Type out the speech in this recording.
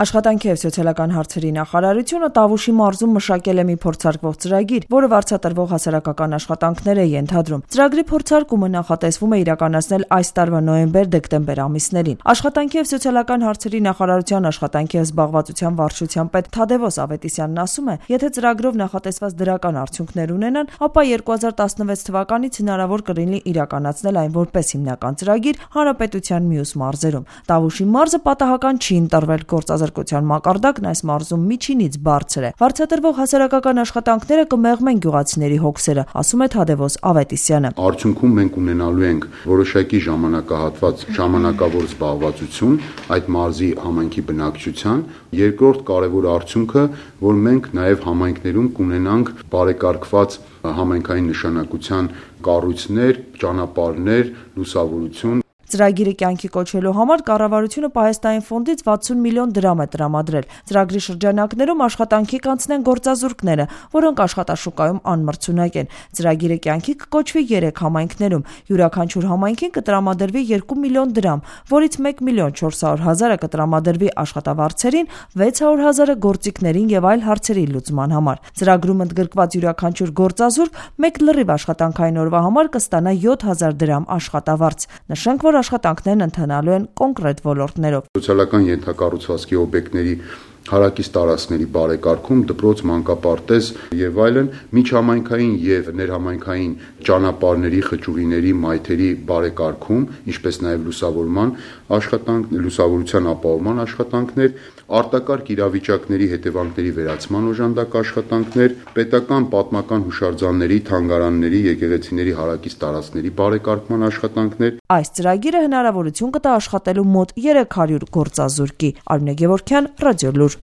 Աշխատանքի և սոցիալական հարցերի նախարարությունը Տավուշի մարզում մշակել է մի փորձարկվող ծրագիր, որը վարձատրվող հասարակական աշխատանքներ է ենթադրում։ Ծրագրի փորձարկումը նախատեսվում է իրականացնել այս տարվա նոյեմբեր-դեկտեմբեր ամիսներին։ Աշխատանքի և սոցիալական հարցերի նախարարության աշխատանքի և զբաղվածության վարչության պետ Թադևոս Ավետիսյանն ասում է, եթե ծրագրով նախատեսված դրական արդյունքներ ունենան, ապա 2016 թվականից հնարավոր կլինի իրականացնել այն որպես հիմնական ծրագիր հանրապետության մյուս մարզերում։ Տավուշի մարզը պատահական չի ընտրվել, գործազրկության մակարդակն այս մարզում միջինից բարձր է։ Վարձատրվող հասարակական աշխատանքները կմեղմեն գյուղացիների հոգսերը, ասում է Թադևոս Ավետիսյանը։ Արդյունքում մենք ունենալու ենք որոշակի ժամանակահատված ժամանակավոր զբաղվածություն այդ մարզի համայնքի բնակչության։ Երկրորդ կարևոր արդյունքը, որ մենք նաև համայնքներում կունենանք բարեկարգված համայնքային նշանակության կառույցներ, ճանապարհներ, լուսավորություն։ Ծրագիրը կյանքի կոչելու համար կառավարությունը Պահեստային ֆոնդից 60 միլիոն դրամ է տրամադրել։ Ծրագրի շրջանակներում աշխատանքի կանցնեն գործազուրկները, որոնք աշխատաշուկայում անմրցունակ են։ Ծրագիրը կյանքի կկոչվի 3 համայնքներում։ Յուրաքանչյուր համայնքին կտրամադրվի 2 միլիոն դրամ, որից 1 միլիոն 400 հազարը կտրամադրվի աշխատավարձերին, 600 հազարը գործիքներին և այլ հարցերի լուծման համար։ Ծրագրում ընդգրկված յուրաքանչյուր գործազուրկ մեկ լրիվ աշխատանքային օրվա համար կստանա 7000 դրամ աշխատավարձ։ Նշենք, որ աշխատանքներն ընթանալու են կոնկրետ ոլորտներով։ Սոցիալական ենթակառուցվածքի օբյեկտների հարակից տարածքների բարեկարգում, դպրոց, մանկապարտեզ եւ այլն, միջհամայնքային եւ ներհամայնքային ճանապարհների, խճուղիների, մայթերի բարեկարգում, ինչպես նաեւ լուսավորման աշխատանքներ, լուսավորության ապահովման աշխատանքներ, արտակարգ իրավիճակների հետևանքների վերացման օժանդակ աշխատանքներ, պետական պատմական հուշարձանների, թանգարանների, եկեղեցիների հարակից տարածքների բարեկարգման աշխատանքներ։ Այս ծրագիրը հնարավորություն կտա աշխատելու մոտ 300 գործազուրկի։ Արմինե Գևորգյան, Ռադիոլուր։